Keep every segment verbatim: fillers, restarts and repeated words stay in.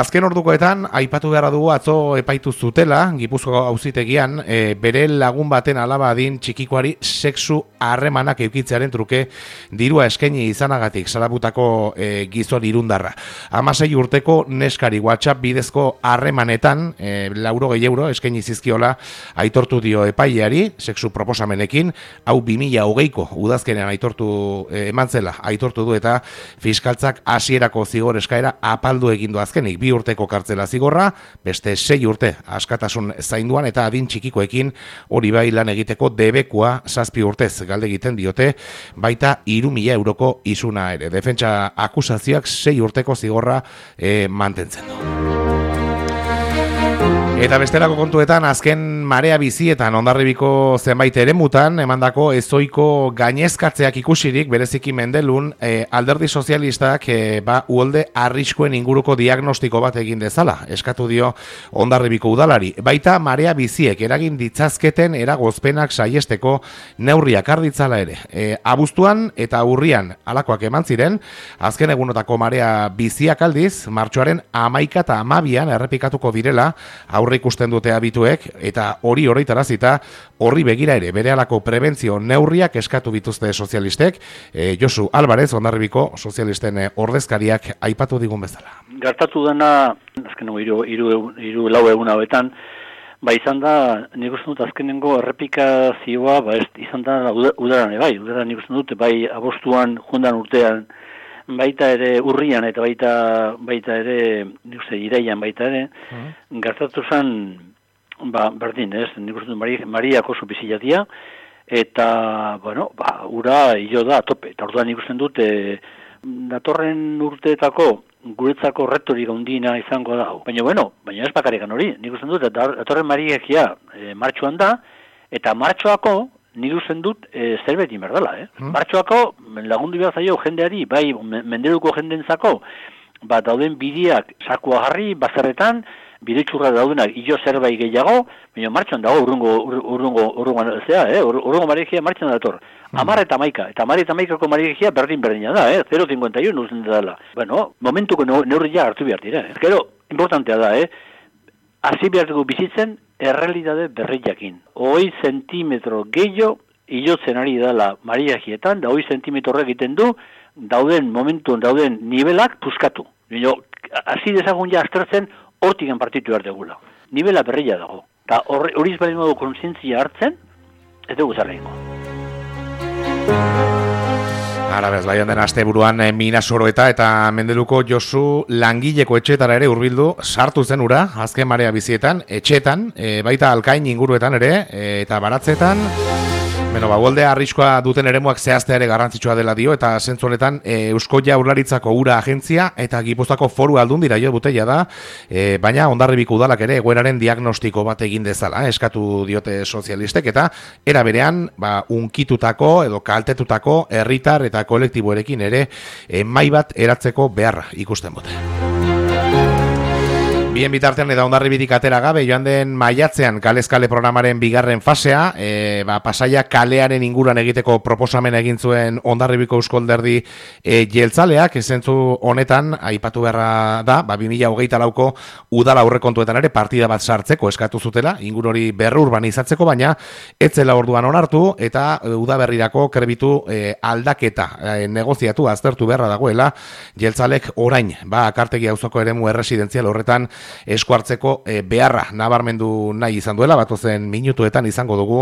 azken ordukoetan, aipatu beharra dugu atzo epaitu zutela, Gipuzkoako auzitegian, e, bere lagun baten alaba adin txikikoari sexu harremanak eukitzearen truke dirua eskaini izanagatik salabutako e, gizon irundarra. Hamasei urteko neskari WhatsApp bidezko harremanetan, e, laurogei euro eskaini zizkiola aitortu dio epaileari, sexu proposamenekin, hau bi mila hogeiko udazkenean aitortu e, eman zela, aitortu du eta fiskaltzak hasierako zigor eskaera apaldu egin du azkenik, bi urteko kartzela zigorra, beste sei urte askatasun zainduan eta adin txikikoekin hori bai lan egiteko debekua zazpi urtez galde egiten diote, baita hiru mila euroko isuna ere. Defentsa akusazioak sei urteko zigorra e, mantentzen du. Eta bestelako kontuetan, azken marea bizietan Hondarribiko zenbait eremutan emandako ezoiko gainezkatzeak ikusirik, bereziki Mendelun, e, alderdi sozialistak e, ba, uholde arriskuen inguruko diagnostiko bat egin dezala, eskatu dio Hondarribiko udalari. Baita marea biziek eragin ditzazketen eragozpenak saiesteko neurriak arditzala ere. E, abuztuan eta urrian alakoak eman ziren, azken egunotako marea biziak aldiz, martxoaren hamaika eta hamabian errepikatuko direla, aurre ikusten dute abituek, eta hori horretarazita horri begira ere berehalako prebentzio neurriak eskatu bituzte sozialistek. E, Josu Alvarez, Hondarribiko sozialisten ordezkariak aipatu digun bezala. Gertatu dena, azkenengo hiru hiru hiru lau egun hauetan, ba izan da, nik uste dut azkenengo errepikazioa, ba ez izan da udaran bai, udaran nik uste dut, bai abostuan, jundan urtean, baita ere urrian eta baita baita ere nik uste iraian baita ere uh-huh. Gertatu zen ba berdin, ez, nik uste Maria Mariako oso bizilatia eta bueno, ba ura hilo da tope. Eta orduan nik uste dut e, datorren urteetako guretzako retorik handiena izango da. Baina bueno, baina ez bakarrikan hori. Nik uste dut datorren Mariakia e, martxoan da eta martxoako nik usten dut e, zerbait inberdala, eh? Hmm. Martxoako lagundu behar zaio jendeari, bai menderuko jendentzako, ba dauden bideak sakua jarri, bazarretan, bide txurra daudenak ilo zerbait gehiago, baina martxoan dago urrungo, urrungo, urrungo, zera, eh? Urrungo mariagia martxoan dator. Hmm. Amar eta maika, eta amar eta maikako mariagia berdin berdina da, eh? zero koma cincuenta y uno usten dela. Bueno, momentuko neurria hartu behar dira, eh? Gero, importantea da, eh? Hasi behar dugu bizitzen, errealitate berriakin. Hoi zentimetro gehiago hilotzen ari dela mariagietan, da hoi zentimetro egiten du, dauden momentuan dauden nivelak puskatu. Hasi dezagun ja aztertzen, hortikan partitu behar degula. Nivela berria dago. Eta hori izbaren modu konsientzia hartzen, ez dugu zarreiko. Ara bez, bai den asteburuan e, Minasoro eta eta Mendeluko Josu langileko etxetara ere hurbildu sartu zen ura, azken marea bizietan, etxetan, e, baita Alkain inguruetan ere, e, eta baratzetan. Beno, ba, uholde arriskoa duten eremuak zehaztea ere garrantzitsua dela dio, eta zentzu honetan e, Eusko Jaurlaritzako ura agentzia eta Gipuzkoako foru aldundira jo dutela da, e, baina Hondarribiko udalak ere egoeraren diagnostiko bat egin dezala, eh, eskatu diote sozialistek, eta era berean, ba, unkitutako edo kaltetutako herritar eta kolektiboerekin ere e, mai bat eratzeko beharra ikusten dute. Bien bitartean eta Hondarribitik atera gabe, joan den maiatzean kalezkale programaren bigarren fasea, e, ba, Pasaia kalearen inguruan egiteko proposamen egin zuen Hondarribiko Eusko Alderdi e, jeltzaleak, zentzu honetan, aipatu beharra da, ba, bi mila hogeita lauko udala aurrekontuetan ere partida bat sartzeko eskatu zutela, inguru hori berrurbanizatzeko, baina ez zela orduan onartu eta e, udaberrirako krebitu e, aldaketa e, negoziatu aztertu beharra dagoela, jeltzalek orain, ba, Akartegi auzoko eremu erresidentzial horretan esku hartzeko e, beharra nabarmendu nahi izan duela, batozen minutuetan izango dugu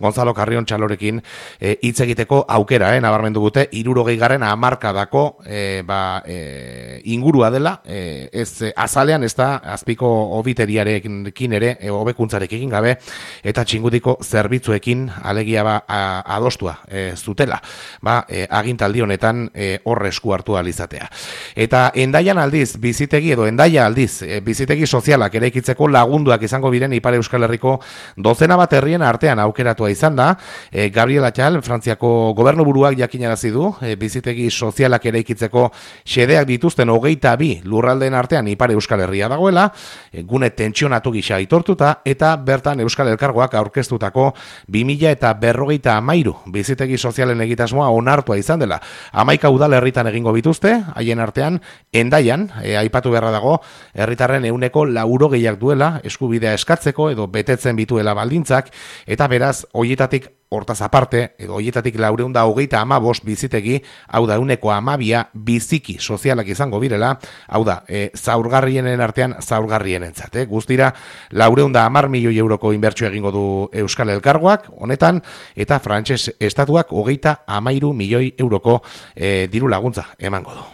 Gonzalo Carrion Txalorekin hitz e, egiteko aukera, eh, nabarmendu gute, hirurogei garren hamarkadako e, ba, e, ingurua dela, e, ez e, azalean ez da azpiko obiteriarekin ere, e, hobekuntzarekin gabe, eta txingudiko zerbitzuekin alegia ba, a, adostua e, zutela, ba, e, agintaldi honetan e, horre esku hartu alizatea. Eta Endaian aldiz, bizitegi edo Endaia aldiz, e, bizitegi bizitegi sozialak eraikitzeko lagunduak izango biren Ipar Euskal Herriko dozena bat herrien artean aukeratua izan da. E, Gabriel Atxal, Frantziako gobernuburuak jakinarazi du, e, bizitegi sozialak eraikitzeko xedeak dituzten hogeita bi lurraldeen artean Ipar Euskal Herria dagoela, e, gune tentsionatu gisa aitortuta, eta bertan Euskal Elkargoak aurkeztutako bi mila eta berrogeita hamairu bizitegi sozialen egitasmoa onartua izan dela. Hamaika udalerritan egingo bituzte, haien artean Hendaian, e, aipatu beharra dago, herritarren ehuneko laurogeiak duela eskubidea eskatzeko edo betetzen bituela baldintzak, eta beraz, hoietatik hortaz aparte, edo hoietatik laureun da hogeita amabost bizitegi, hau da ehuneko hamabia biziki sozialak izango birela, hau da, e, zaurgarrienen artean zaurgarrienentzat. E, guztira, laureun da hamar milioi euroko inbertsio egingo du Euskal Elkargoak, honetan, eta frantses estatuak hogeita hamairu milioi euroko e, diru laguntza emango du.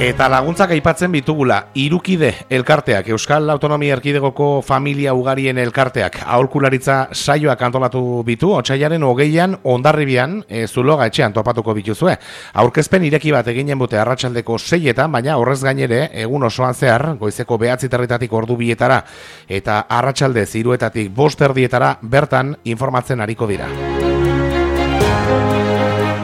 Eta laguntzak aipatzen bitugula, Hirukide elkarteak, Euskal Autonomia Erkidegoko familia ugarien elkarteak, aholkularitza saioak antolatu bitu, otsailaren hogeian Hondarribian, e, Zuloga etxean topatuko bituzue. Aurkezpen ireki bat eginen bute arratsaldeko seietan, baina horrez gainere, egun osoan zehar, goizeko behatzi territatik ordu bietara, eta arratsalde hiruetatik bost erdietara bertan informatzen ariko dira.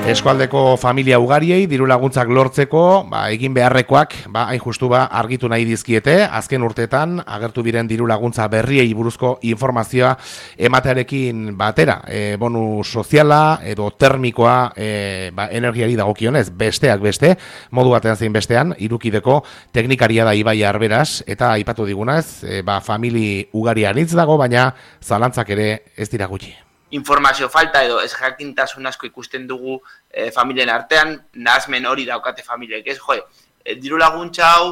Eskualdeko familia ugariei diru laguntzak lortzeko, ba, egin beharrekoak, ba, hain justu ba, argitu nahi dizkiete, azken urteetan agertu biren diru laguntza berriei buruzko informazioa ematearekin batera, e, bonu soziala edo termikoa e, ba, energiari dagokionez, besteak beste, modu batean zein bestean, Hirukideko teknikaria da Ibai Arberaz, eta aipatu digunaz, e, ba, famili ugaria anitz dago, baina zalantzak ere ez dira gutxi. Informazio falta edo ez jakintasun asko ikusten dugu e, familien artean, nahasmen hori daukate familiek, ez? Jo, e, diru laguntza hau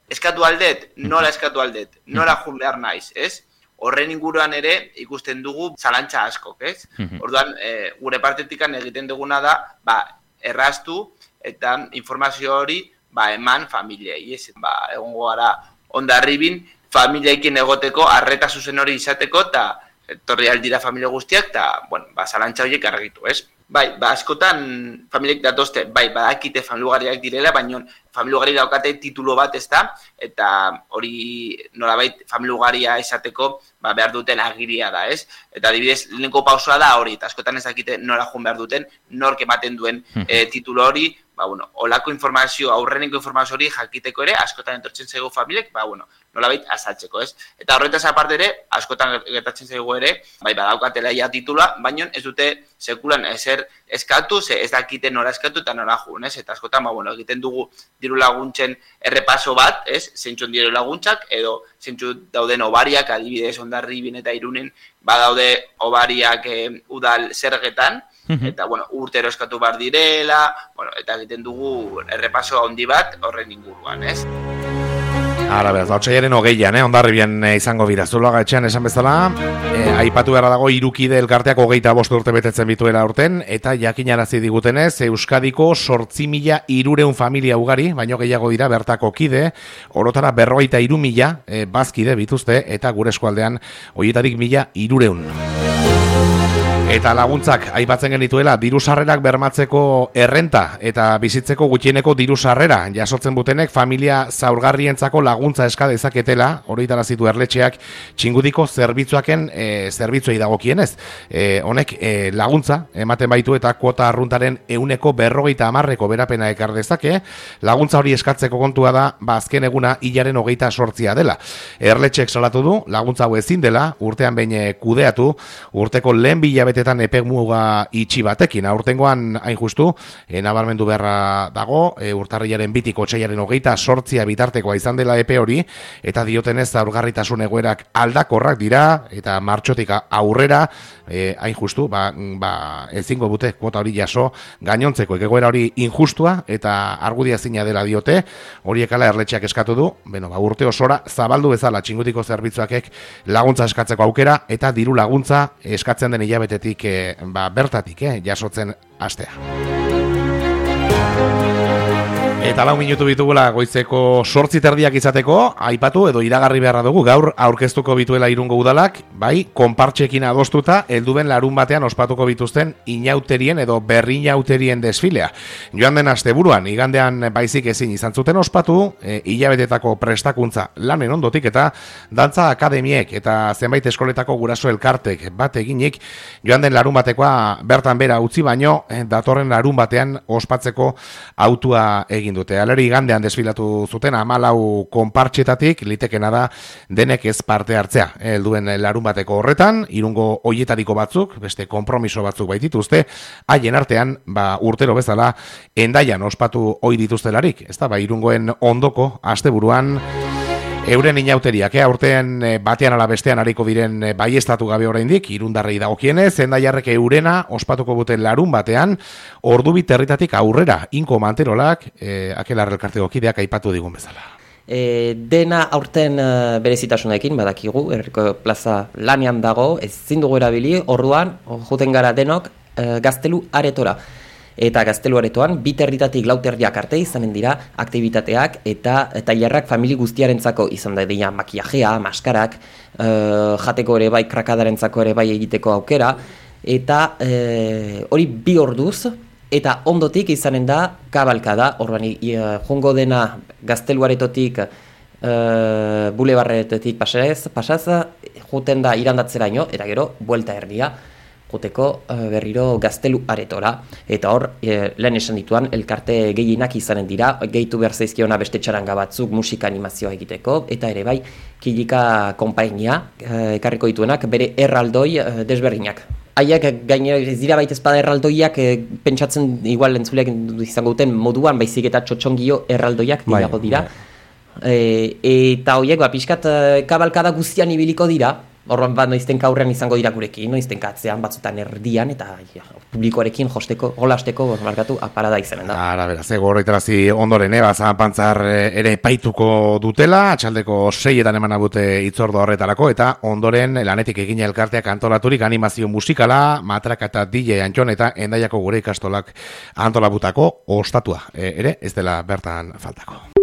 eskatu aldet, nola eskatu aldet, nola jun behar naiz, ez? Horren inguruan ere ikusten dugu zalantza askok, ez? Orduan, e, gure partetikan egiten duguna da, ba, erraztu eta informazio hori ba, eman familiei, ez? Ba, egongo gara Hondarribin familiekin egoteko, arreta zuzen hori izateko, eta etorri aldira familia guztiak, eta, bueno, ba, zalantza horiek argitu, ez? Bai, ba, askotan familiek datozte, bai, badakite familiugariak direla, baina familiugari daukate titulo bat ez da, eta hori nolabait familiugaria esateko, ba, behar duten agiria da, ez? Eta adibidez, lehenko pausoa da hori, eta askotan ez dakite nola joan behar duten, nork ematen duen e, titulo hori, ba, bueno, olako informazio, aurreneko informazio hori jakiteko ere, askotan entortzen zaigu familiek, ba, bueno, nolabait azaltzeko, ez? Eta horretaz aparte ere, askotan gertatzen zaigu ere, bai, badaukatela ja titula, baina ez dute sekulan ezer eskatu, ze ez dakite nola eskatu eta nola jun, ez? Eta askotan, ba, bueno, egiten dugu diru laguntzen errepaso bat, ez? Zeintzun diru laguntzak, edo zeintzun dauden obariak, adibidez Hondarribin eta Irunen, badaude obariak e, udal zergetan, eta, bueno, urtero eskatu behar direla, bueno, eta egiten dugu errepaso handi bat horren inguruan, ez? Ara, beraz, otsailaren hogeian, eh, Hondarribian eh, izango bira. Zuloga etxean esan bezala, eh, aipatu beharra dago Hirukide elkarteak hogeita bost urte betetzen bituela urten, eta jakinarazi digutenez, Euskadiko zortzi mila hirureun familia ugari, baino gehiago dira bertako kide, orotara berrogeita hiru mila eh, bazkide bituzte, eta gure eskualdean horietarik mila hirureun. Eta laguntzak aipatzen genituela diru sarrerak bermatzeko errenta eta bizitzeko gutxieneko diru sarrera jasotzen butenek familia zaurgarrientzako laguntza eska dezaketela, horietarazitu erletxeak Txingudiko zerbitzuaken e, zerbitzuei dagokienez. E, honek e, laguntza ematen baitu eta kuota arruntaren ehuneko berrogeita hamarreko berapena ekar dezake. Laguntza hori eskatzeko kontua da, ba azken eguna hilaren hogeita sortzia dela. Erletxeek salatu du, laguntza hau ezin dela, urtean behin kudeatu, urteko lehen bilabete epe muga itxi batekin. Aurtengoan hain justu, e, nabarmendu beharra dago, e, urtarrilaren bitik otsailaren hogeita sortzia bitartekoa izan dela epe hori, eta diotenez zaurgarritasun egoerak aldakorrak dira, eta martxotik aurrera, e, hain justu, ba, ba, ezingo bute kuota hori jaso gainontzeko, egoera hori injustua, eta argudia zina dela diote, horiekala erletxeak eskatu du, beno, ba, urte osora zabaldu bezala Txingudiko zerbitzuakek laguntza eskatzeko aukera, eta diru laguntza eskatzen den hilabetetik E, ba, bertatik, eh, jasotzen hastea. Eta lau minutu bitugula goizeko sortzi terdiak izateko, aipatu edo iragarri beharra dugu, gaur aurkeztuko bituela Irungo udalak, bai, konpartxekin adostuta, helduben larun batean ospatuko bituzten inauterien edo berrinauterien desfilea. Joan den asteburuan, igandean baizik ezin izan zuten ospatu, e, hilabetetako prestakuntza lanen ondotik eta dantza akademiek eta zenbait eskoletako guraso elkartek bat eginik, joan den larun batekoa bertan bera utzi baino, e, datorren larun batean ospatzeko autua egin dute. Aleri igandean desfilatu zuten hamalau konpartxetatik, litekena da denek ez parte hartzea. Helduen larun bateko horretan, Irungo hoietariko batzuk, beste konpromiso batzuk baitituzte, haien artean, ba, urtero bezala, Hendaian ospatu ohi dituztelarik. Ez da, ba, Irungoen ondoko asteburuan euren inauteriak, eh, aurtean batean ala bestean ariko diren baiestatu gabe oraindik, Irundarrei dagokienez, Hendaiarrek eurena ospatuko buten larun batean, ordubi territatik aurrera, Inko Manterolak, eh, Akelarre elkarteko kideak aipatu digun bezala. E, dena aurten uh, berezitasunekin, badakigu, herriko plaza lanean dago, ezin dugu erabili, orduan, joten gara denok, uh, gaztelu aretora. Eta gaztelu aretoan, bi territatik lau terdiak arte izanen dira aktibitateak eta tailerrak famili guztiarentzako izan da dira makiajea, maskarak, uh, jateko ere bai, krakadarentzako ere bai egiteko aukera, eta uh, hori bi orduz, eta ondotik izanen da kabalkada, orduan uh, jongo dena gaztelu aretotik uh, bulebarretetik pasaz, pasaz, juten da irandatzeraino, eta gero, buelta erdia, joteko uh, berriro gaztelu aretora. Eta hor, e, lehen esan dituan, elkarte gehienak izanen dira, gehitu behar zaizkiona beste txaranga batzuk musika animazioa egiteko, eta ere bai, Kilika konpainia, uh, ekarriko dituenak, bere erraldoi uh, desberdinak. Haiek gainera ez dira baita espada erraldoiak e, pentsatzen igual entzuleak izango duten moduan, baizik eta txotxongio erraldoiak dirago dira. E, eta horiek, ba, pixkat kabalkada guztian ibiliko dira, horren bat noizten aurrean izango dira gurekin, noizten atzean batzutan erdian, eta ja, publikoarekin josteko, golasteko, markatu, aparada izanen da. Ara, beraz, ego horretarazi ondoren, eba, Zapantzar ere paituko dutela, atxaldeko seietan eman abute itzordo horretarako, eta ondoren lanetik egina elkarteak antolaturik animazio musikala, matraka eta D J Antxon eta Hendaiako gure ikastolak antolabutako ostatua, e, ere, ez dela bertan faltako.